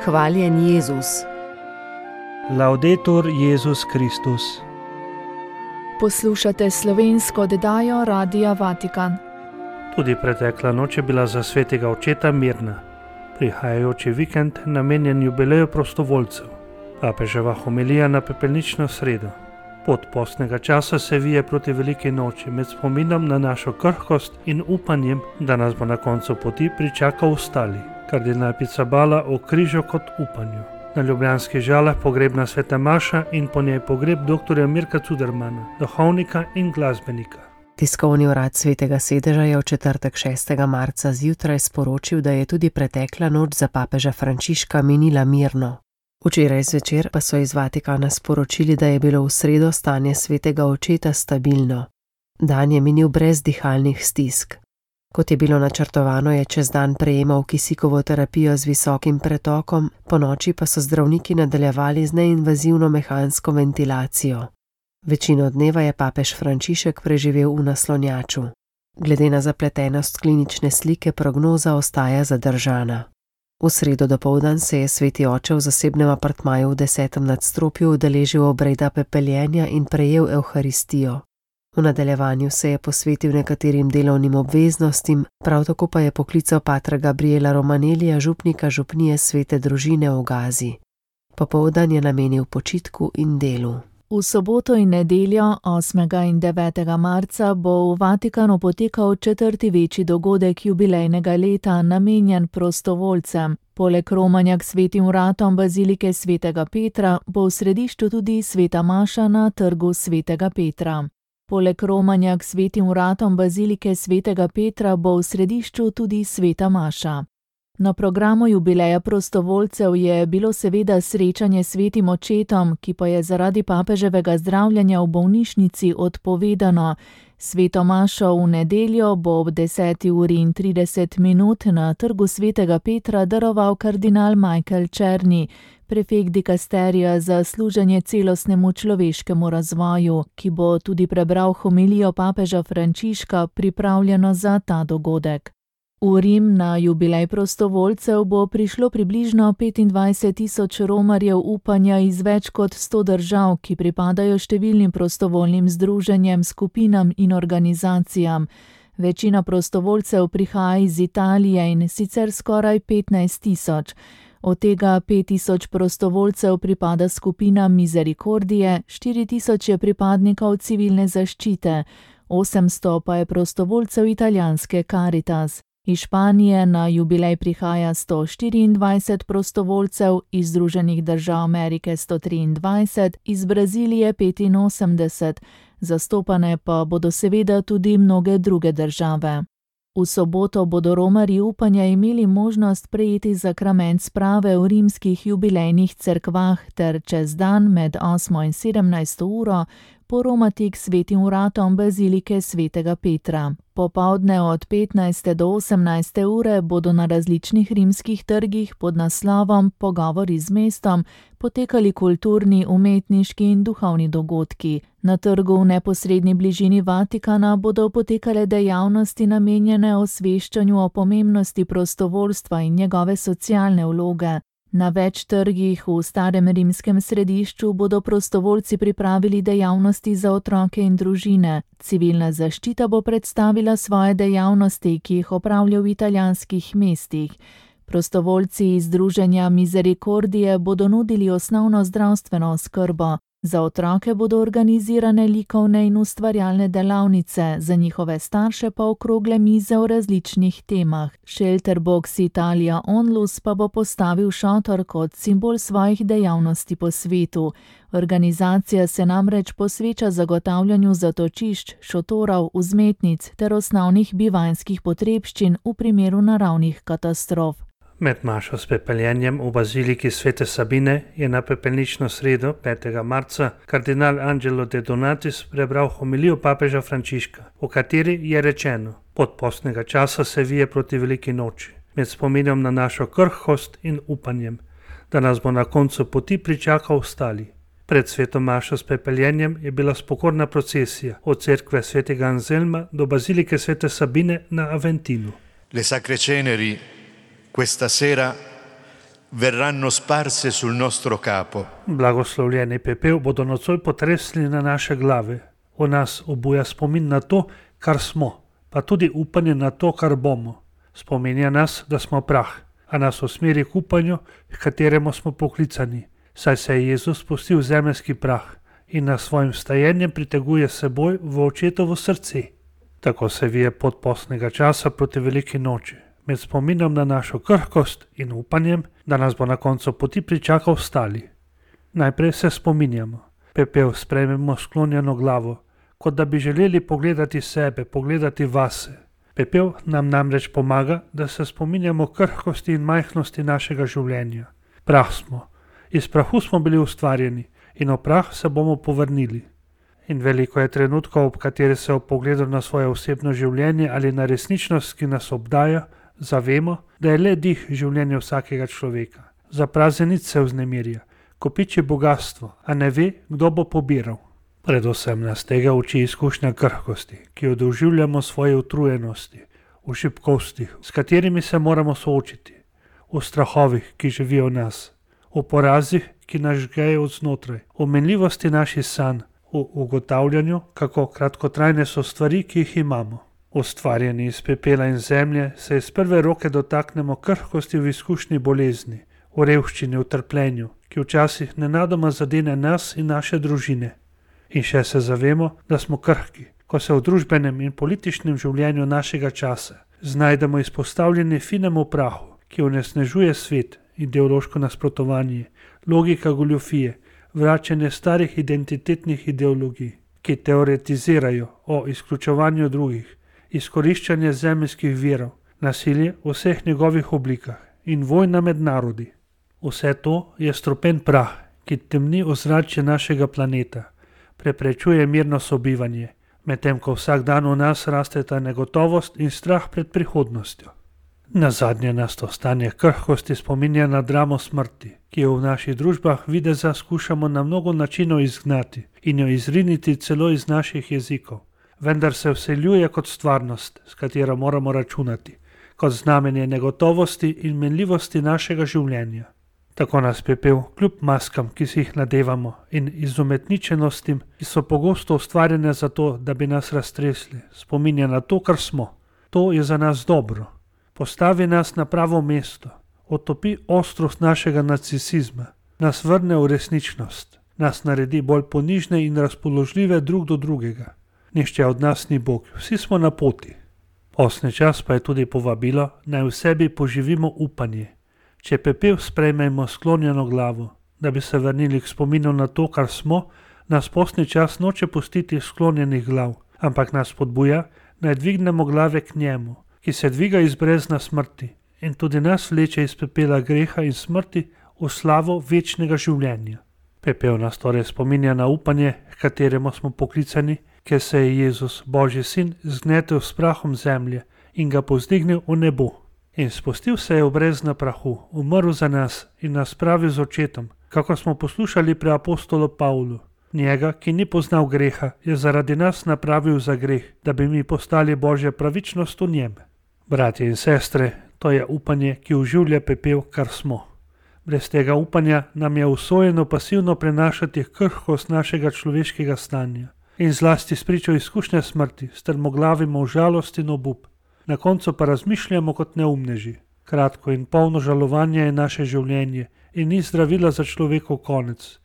Hvaljen Jezus. Laudetur Jezus Kristus. Poslušate slovensko oddajo Radia Vatikan. Tudi pretekla noč je bila za svetega očeta mirna. Prihajajoči vikend namenjen jubileju prostovoljcev. Papeževa homilija na pepelnično sredo. Pot postnega časa se vije proti veliki noči med spominom na našo krhkost in upanjem, da nas bo na koncu poti pričakal ostali. Kardinal Pizzaballa o križu kot upanju. Na ljubljanskih Žalah pogrebna sveta maša in po njej pogreb dr. Mirka Cudermana, duhovnika in glasbenika. Tiskovni urad Svetega sedeža je v četrtek 6. marca zjutraj sporočil, da je tudi pretekla noč za papeža Frančiška minila mirno. Včeraj zvečer pa so iz Vatikana sporočili, da je bilo v sredo stanje svetega očeta stabilno. Dan je minil brez dihalnih stisk. Kot je bilo načrtovano, je čez dan prejemal kisikovo terapijo z visokim pretokom, ponoči pa so zdravniki nadaljevali z neinvazivno mehansko ventilacijo. Večino dneva je papež Frančišek preživel v naslonjaču. Glede na zapletenost klinične slike prognoza ostaja zadržana. V sredo dopoldan se je sveti oče v zasebnem apartmaju v 10. nadstropju udeležil obreda pepeljenja in prejel evharistijo. V nadaljevanju se je posvetil nekaterim delovnim obveznostim, prav tako pa je poklical patra Gabriela Romanelija, župnika župnije Svete družine v Gazi. Popoldan je namenil počitku in delu. V soboto in nedeljo 8. in 9. marca bo v Vatikanu potekal 4. večji dogodek jubilejnega leta namenjen prostovoljcem. Poleg romanja k svetim vratom bazilike svetega Petra bo v središču tudi sveta maša na trgu svetega Petra. Poleg romanja k svetim vratom bazilike svetega Petra bo v središču tudi sveta maša. Na programu jubileja prostovoljcev je bilo seveda srečanje s svetim očetom, ki pa je zaradi papeževega zdravljenja v bolnišnici odpovedano. Sveto mašo v nedeljo bo ob 10:30 na trgu svetega Petra daroval kardinal Michael Czerny, prefekt dikasterija za služenje celostnemu človeškemu razvoju, ki bo tudi prebral homilijo papeža Frančiška, pripravljeno za ta dogodek. V Rim na jubilej prostovoljcev bo prišlo približno 25.000 romarjev upanja iz več kot 100 držav, ki pripadajo številnim prostovoljnim združenjem, skupinam in organizacijam. Večina prostovoljcev prihaja iz Italije in sicer skoraj 15.000. Od tega 5.000 prostovoljcev pripada skupinam Misericordije, 4.000 je pripadnikov civilne zaščite, 800 pa je prostovoljcev italijanske Caritas. Iz Španije na jubilej prihaja 124 prostovoljcev, iz Združenih držav Amerike 123, iz Brazilije 85, zastopane pa bodo seveda tudi mnoge druge države. V soboto bodo romarji upanja imeli možnost prejeti zakrament sprave v rimskih jubilejnih cerkvah ter čez dan med 8. in 17. uro poromati k svetim vratom bazilike svetega Petra. Popoldne od 15. do 18. ure bodo na različnih rimskih trgih pod naslovom Pogovori z mestom potekali kulturni, umetniški in duhovni dogodki. Na trgu v neposredni bližini Vatikana bodo potekale dejavnosti namenjene osveščanju o pomembnosti prostovoljstva in njegove socialne vloge. Na več trgih v starem rimskem središču bodo prostovoljci pripravili dejavnosti za otroke in družine. Civilna zaščita bo predstavila svoje dejavnosti, ki jih opravlja v italijanskih mestih. Prostovoljci iz združenja Misericordije bodo nudili osnovno zdravstveno oskrbo. Za otroke bodo organizirane likovne in ustvarjalne delavnice, za njihove starše pa okrogle mize o različnih temah. Shelterbox Italia Onlus pa bo postavil šotor kot simbol svojih dejavnosti po svetu. Organizacija se namreč posveča zagotavljanju zatočišč, šotorov, vzmetnic ter osnovnih bivanjskih potrebščin v primeru naravnih katastrof. Med mašo s pepeljenjem v baziliki svete Sabine je na pepelnično sredo 5. marca kardinal Angelo de Donatis prebral homilijo papeža Frančiška, v kateri je rečeno: pot postnega časa se vije proti veliki noči, med spominom na našo krhkost in upanjem, da nas bo na koncu poti pričakal ostali. Pred sveto mašo s pepeljenjem je bila spokorna procesija od cerkve svetega Anselma do bazilike svete Sabine na Aventinu. Le sacre ceneri questa sera verranno sparse sul nostro capo. Blagoslovljeni pepel bodo nocoj potresli na naše glave. V nas obuja spomin na to, kar smo, pa tudi upanje na to, kar bomo. Spominja nas, da smo prah, a nas usmeri k upanju, k kateremu smo poklicani, saj se je Jezus spustil v zemeljski prah in nas svojim vstajenjem priteguje s seboj v očetovo srce. Tako se vije pot postnega časa proti veliki noči, med spominom na našo krhkost in upanjem, da nas bo na koncu poti pričakal stali. Najprej se spominjamo. Pepel sprejmemo sklonjeno glavo, kot da bi želeli pogledati sebe, pogledati vase. Pepel nam namreč pomaga, da se spominjamo krhkosti in majhnosti našega življenja. Prah smo. Iz prahu smo bili ustvarjeni in v prah se bomo povrnili. In veliko je trenutkov, ob kateri se ob pogledu na svoje osebno življenje ali na resničnost, ki nas obdaja, zavemo, da je le dih življenja vsakega človeka. Za prazenic se vznemirja, kopiči bogatstvo, a ne ve, kdo bo pobiral. Predvsem nas tega uči izkušnja krhkosti, ki jo doživljamo v svoji utrujenosti, v šibkostih, s katerimi se moramo soočiti, v strahovih, ki živijo v nas, v porazih, ki nas žgejo od znotraj, v menljivosti naših sanj, v ugotavljanju, kako kratkotrajne so stvari, ki jih imamo. Ustvarjeni iz pepela in zemlje se iz prve roke dotaknemo krhkosti v izkušnji bolezni, v revščini, v trpljenju, ki včasih nenadoma zadene nas in naše družine. In še se zavemo, da smo krhki, ko se v družbenem in političnem življenju našega časa znajdemo izpostavljeni finemu prahu, ki onesnažuje svet, ideološko nasprotovanje, logika goljufije, vračanje starih identitetnih ideologij, ki teoretizirajo o izključevanju drugih, izkoriščanje zemeljskih virov, nasilje v vseh njegovih oblikah in vojna med narodi. Vse to je strupen prah, ki temni ozračje našega planeta, preprečuje mirno sobivanje, medtem ko vsak dan v nas rasteta negotovost in strah pred prihodnostjo. Nazadnje nas to stanje krhkosti spominja na dramo smrti, ki jo v naših družbah videza skušamo na mnogo načinov izgnati in jo izriniti celo iz naših jezikov, vendar se vseljuje kot stvarnost, s katero moramo računati, kot znamenje negotovosti in menljivosti našega življenja. Tako nas pepel, kljub maskam, ki si jih nadevamo, in izumetničenostim, ki so pogosto ustvarjene zato, da bi nas raztresli, spominja na to, kar smo. To je za nas dobro. Postavi nas na pravo mesto, otopi ostrost našega narcisizma, nas vrne v resničnost, nas naredi bolj ponižne in razpoložljive drug do drugega. Nihče od nas ni Bog, vsi smo na poti. Postni čas pa je tudi povabilo, naj v sebi poživimo upanje. Če pepel sprejmemo sklonjeno glavo, da bi se vrnili k spominu na to, kar smo, nas postni čas noče pustiti sklonjenih glav, ampak nas spodbuja, naj dvignemo glave k njemu, ki se dviga iz brezna smrti in tudi nas vleče iz pepela greha in smrti v slavo večnega življenja. Pepel nas torej spominja na upanje, k kateremu smo poklicani, ker se je Jezus, Božji sin, zgnetel s prahom zemlje in ga povzdignil v nebo. In spustil se je v brezna prahu, umrl za nas in nas spravil z očetom, kako smo poslušali pri apostolu Pavlu. Njega, ki ni poznal greha, je zaradi nas napravil za greh, da bi mi postali Božja pravičnost v njem. Bratje in sestre, to je upanje, ki oživlja pepel, kar smo. Brez tega upanja nam je usojeno pasivno prenašati krhkost našega človeškega stanja in zlasti spričo izkušnje smrti, strmoglavimo v žalost in obup. Na koncu pa razmišljamo kot neumneži. Kratko in polno žalovanja je naše življenje in ni zdravila za človekov konec.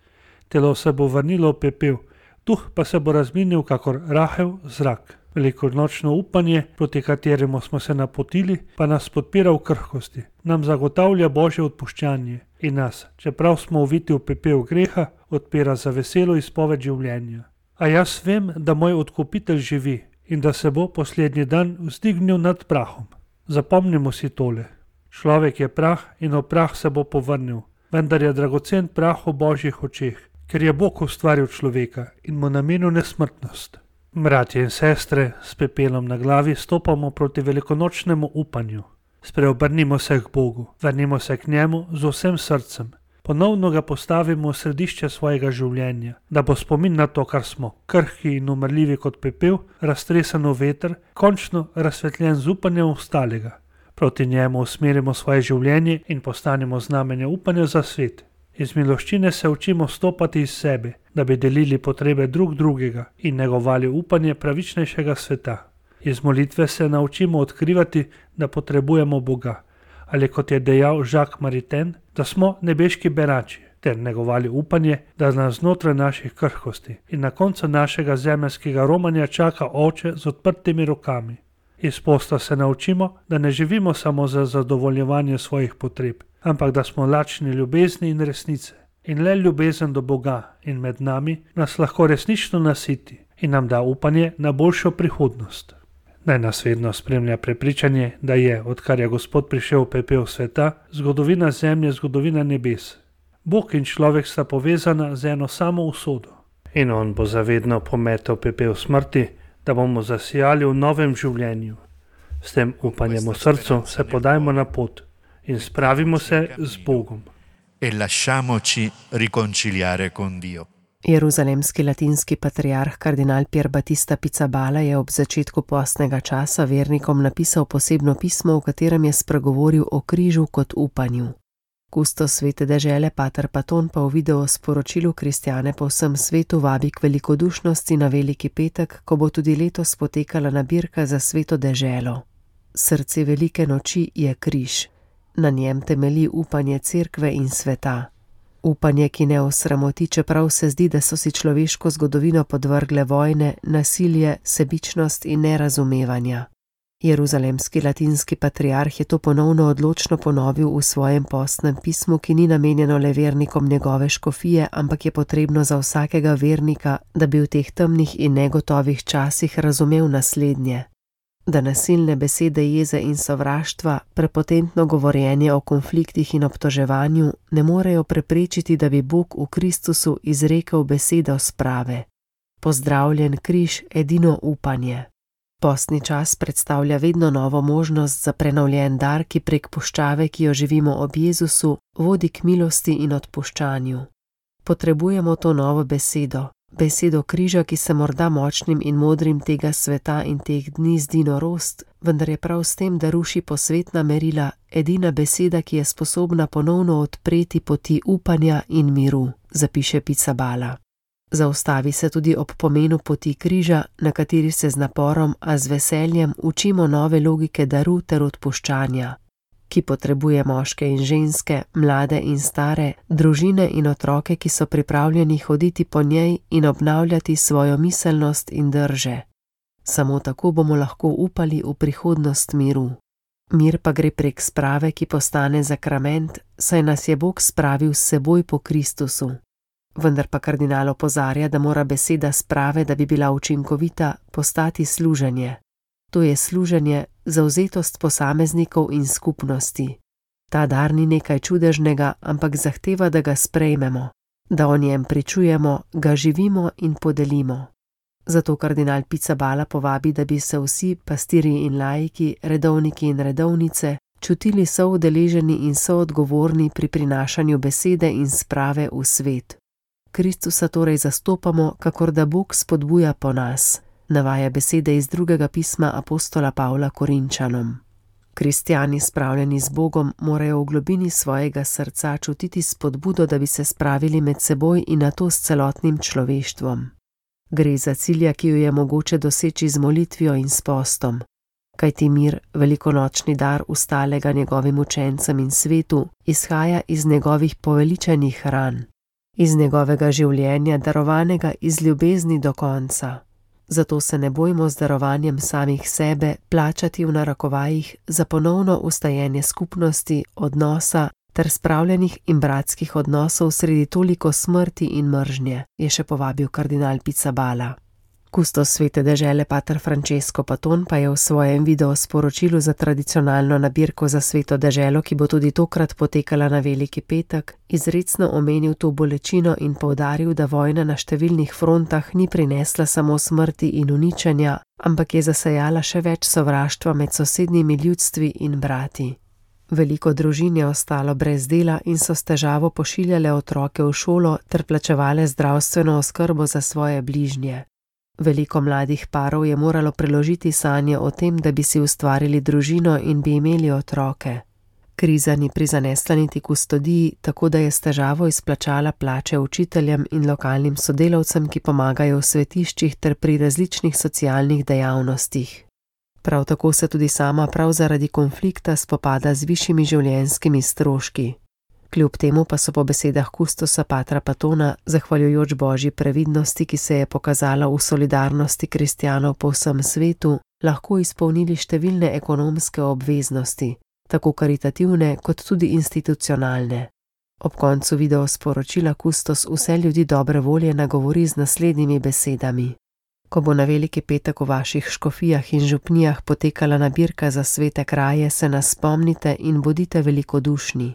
Telo se bo vrnilo v pepel, duh pa se bo razminil kakor rahel zrak. Velikonočno upanje, proti kateremu smo se napotili, pa nas podpira v krhkosti, nam zagotavlja Božje odpuščanje in nas, čeprav smo uviti v pepel greha, odpira za veselo izpoved življenja. A jaz vem, da moj odkupitelj živi in da se bo poslednji dan vzdignil nad prahom. Zapomnimo si tole. Človek je prah in v prah se bo povrnil, vendar je dragocen prah v Božjih očeh, ker je Bog ustvaril človeka in mu namenil nesmrtnost. Bratje in sestre, s pepelom na glavi stopamo proti velikonočnemu upanju. Spreobrnimo se k Bogu, vrnimo se k njemu z vsem srcem. Ponovno ga postavimo v središče svojega življenja, da bo spomin na to, kar smo, krhki in umrljivi kot pepel, raztresen v veter, končno razsvetljen z upanjem ostalega. Proti njemu usmerimo svoje življenje in postanemo znamenje upanja za svet. Iz miloščine se učimo stopati iz sebe, da bi delili potrebe drugega in negovali upanje pravičnejšega sveta. Iz molitve se naučimo odkrivati, da potrebujemo Boga, ali kot je dejal Jacques Maritain, da smo nebeški berači, ter negovali upanje, da nas znotraj naših krhkosti in na koncu našega zemeljskega romanja čaka Oče z odprtimi rokami. Iz posta se naučimo, da ne živimo samo za zadovoljevanje svojih potreb, ampak da smo lačni ljubezni in resnice. In le ljubezen do Boga in med nami nas lahko resnično nasiti in nam da upanje na boljšo prihodnost. Naj nas vedno spremlja prepričanje, da je, odkar je Gospod prišel v pepel sveta, zgodovina zemlje zgodovina nebes. Bog in človek sta povezana z eno samo usodo. In on bo zavedno pometel pepel smrti, da bomo zasijali v novem življenju. S tem upanjem v srcu se podajmo na pot in spravimo se z Bogom. E lasciamoci riconciliare con Dio. Jeruzalemski latinski patriarh kardinal Pier Battista Pizzaballa je ob začetku postnega časa vernikom napisal posebno pismo, v katerem je spregovoril o križu kot upanju. Kustos svete dežele pater Paton pa v video sporočilu kristjane po vsem svetu vabi k velikodušnosti na Veliki petek, ko bo tudi letos potekala nabirka za sveto deželo. Srce velike noči je križ. Na njem temelji upanje cerkve in sveta. Upanje, ki ne osramoti, čeprav se zdi, da so si človeško zgodovino podvrgle vojne, nasilje, sebičnost in nerazumevanja. Jeruzalemski latinski patriarh je to ponovno odločno ponovil v svojem postnem pismu, ki ni namenjeno le vernikom njegove škofije, ampak je potrebno za vsakega vernika, da bi v teh temnih in negotovih časih razumel naslednje. Da nasilne besede jeze in sovraštva, prepotentno govorjenje o konfliktih in obtoževanju ne morejo preprečiti, da bi Bog v Kristusu izrekel besedo sprave. Pozdravljen križ, edino upanje. Postni čas predstavlja vedno novo možnost za prenovljen dar, ki prek puščave, ki jo živimo ob Jezusu, vodi k milosti in odpuščanju. Potrebujemo to novo besedo. Besedo križa, ki se morda močnim in modrim tega sveta in teh dni zdi norost, vendar je prav s tem, da ruši posvetna merila, edina beseda, ki je sposobna ponovno odpreti poti upanja in miru, zapiše Pizzaballa. Zaustavi se tudi ob pomenu poti križa, na kateri se z naporom, a z veseljem učimo nove logike daru ter odpuščanja, ki potrebuje moške in ženske, mlade in stare, družine in otroke, ki so pripravljeni hoditi po njej in obnavljati svojo miselnost in drže. Samo tako bomo lahko upali v prihodnost miru. Mir pa gre prek sprave, ki postane zakrament, saj nas je Bog spravil s seboj po Kristusu. Vendar pa kardinal opozarja, da mora beseda sprave, da bi bila učinkovita, postati služenje. To je služenje, zavzetost posameznikov in skupnosti. Ta dar ni nekaj čudežnega, ampak zahteva, da ga sprejmemo, da o njem pričujemo, ga živimo in podelimo. Zato kardinal Pizzaballa povabi, da bi se vsi, pastirji in laiki, redovniki in redovnice, čutili soudeleženi in soodgovorni pri prinašanju besede in sprave v svet. Kristusa torej zastopamo, kakor da Bog spodbuja po nas, navaja besede iz drugega pisma apostola Pavla Korinčanom. Kristjani spravljeni z Bogom morajo v globini svojega srca čutiti spodbudo, da bi se spravili med seboj in nato s celotnim človeštvom. Gre za cilja, ki jo je mogoče doseči z molitvijo in s postom. Kajti mir, velikonočni dar ustalega njegovim učencem in svetu, izhaja iz njegovih poveličanih ran, iz njegovega življenja, darovanega iz ljubezni do konca. Zato se ne bojmo z darovanjem samih sebe plačati v narekovajih za ponovno ustajenje skupnosti, odnosa ter spravljenih in bratskih odnosov sredi toliko smrti in mržnje, je še povabil kardinal Pizzaballa. Kustos svete dežele pater Francesco Paton pa je v svojem video sporočilu za tradicionalno nabirko za sveto deželo, ki bo tudi tokrat potekala na Veliki petek, izrecno omenil to bolečino in poudaril, da vojna na številnih frontah ni prinesla samo smrti in uničenja, ampak je zasejala še več sovraštva med sosednjimi ljudstvi in brati. Veliko družin je ostalo brez dela in so s težavo pošiljale otroke v šolo ter plačevale zdravstveno oskrbo za svoje bližnje. Veliko mladih parov je moralo preložiti sanje o tem, da bi si ustvarili družino in bi imeli otroke. Kriza ni prizanesla niti kustodiji, tako da je s težavo izplačala plače učiteljem in lokalnim sodelavcem, ki pomagajo v svetiščih ter pri različnih socialnih dejavnostih. Prav tako se tudi sama prav zaradi konflikta spopada z višjimi življenjskimi stroški. Kljub temu pa so po besedah kustosa patra Patona, zahvaljujoč božji previdnosti, ki se je pokazala v solidarnosti kristjanov po vsem svetu, lahko izpolnili številne ekonomske obveznosti, tako karitativne kot tudi institucionalne. Ob koncu video sporočila kustos vse ljudi dobre volje nagovori z naslednjimi besedami. Ko bo na veliki petek v vaših škofijah in župnijah potekala nabirka za svete kraje, se nas spomnite in bodite velikodušni.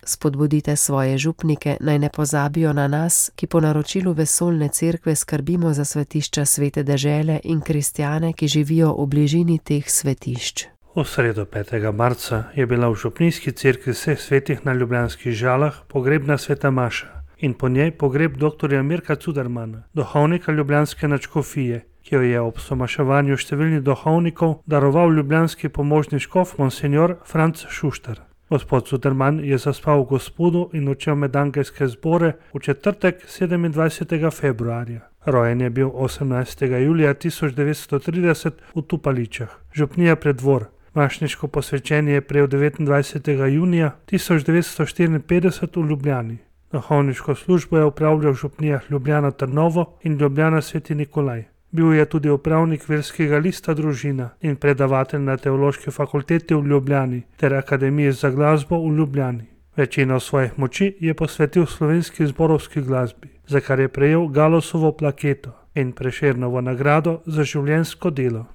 Spodbudite svoje župnike, naj ne pozabijo na nas, ki po naročilu vesoljne cerkve skrbimo za svetišča svete dežele in kristjane, ki živijo v bližini teh svetišč. V sredo 5. marca je bila v župnijski cerkvi vseh svetih na Ljubljanskih Žalah pogrebna sveta maša in po njej pogreb dr. Mirka Cudermana, duhovnika ljubljanske nadškofije, ki jo je ob somaševanju številnih duhovnikov daroval ljubljanski pomožni škof monsenjor Franc Šuštar. Gospod Cuderman je zaspal v Gospodu in odšel med angelske zbore v četrtek 27. februarja. Rojen je bil 18. julija 1930 v Tupaličah, župnija Preddvor. Mašniško posvečenje je prejel 29. junija 1954 v Ljubljani. Duhovniško službo je opravljal v župnijah Ljubljana Trnovo in Ljubljana Sveti Nikolaj. Bil je tudi upravnik verskega lista Družina in predavatelj na Teološki fakulteti v Ljubljani ter Akademiji za glasbo v Ljubljani. Večino svojih moči je posvetil slovenski zborovski glasbi, za kar je prejel Galosovo plaketo in Prešernovo nagrado za življenjsko delo.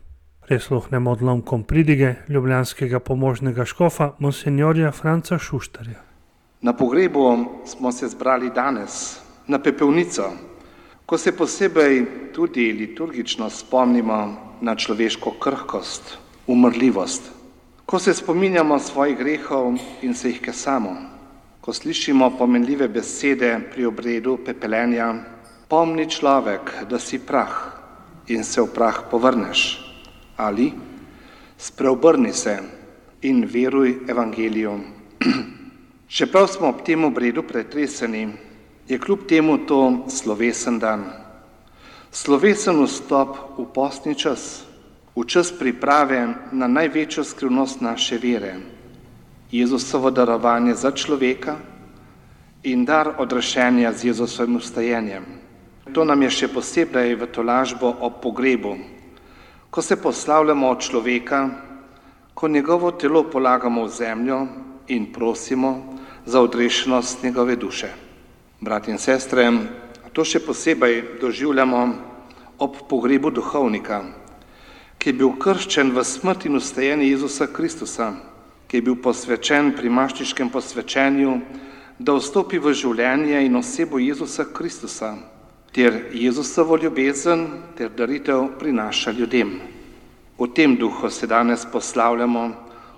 Prisluhnemo odlomkom pridige ljubljanskega pomožnega škofa monsenjorja Franca Šuštarja. Na pogrebu smo se zbrali danes, na pepelnico, ko se posebej tudi liturgično spomnimo na človeško krhkost, umrljivost, ko se spominjamo svojih grehov in se jih kesamo, ko slišimo pomenljive besede pri obredu pepelenja, pomni človek, da si prah in se v prah povrneš, ali spreobrni se in veruj evangeliju. Čeprav smo ob tem obredu pretreseni, je kljub temu to slovesen dan. Slovesen vstop v postni čas, v čas priprave na največjo skrivnost naše vere, Jezusovo darovanje za človeka in dar odrešenja z Jezusovim vstajenjem. To nam je še posebej v tolažbo ob pogrebu, ko se poslavljamo od človeka, ko njegovo telo polagamo v zemljo in prosimo za odrešenost njegove duše. Brat in sestre, to še posebej doživljamo ob pogrebu duhovnika, ki je bil krščen v smrt in vstajenje Jezusa Kristusa, ki je bil posvečen pri mašniškem posvečenju, da vstopi v življenje in osebo Jezusa Kristusa, ter Jezusovo ljubezen ter daritev prinaša ljudem. V tem duhu se danes poslavljamo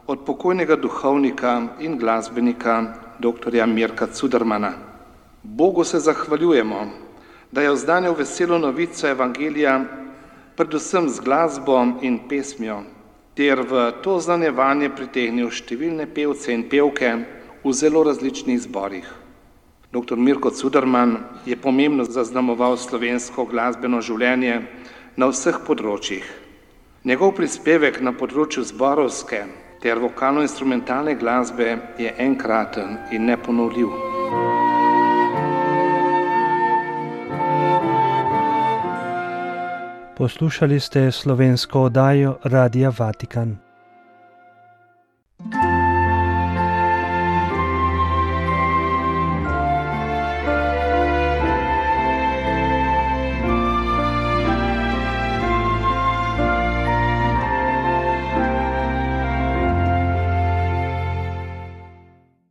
od pokojnega duhovnika in glasbenika dr. Mirka Cudermana. Bogu se zahvaljujemo, da je oznanil veselo novico evangelija predvsem z glasbo in pesmijo, ter v to oznanjevanje pritegnil številne pevce in pevke v zelo različnih zborih. Dr. Mirko Cuderman je pomembno zaznamoval slovensko glasbeno življenje na vseh področjih. Njegov prispevek na področju zborovske ter vokalno-instrumentalne glasbe je enkraten in neponovljiv. Poslušali ste slovensko oddajo Radia Vatikan.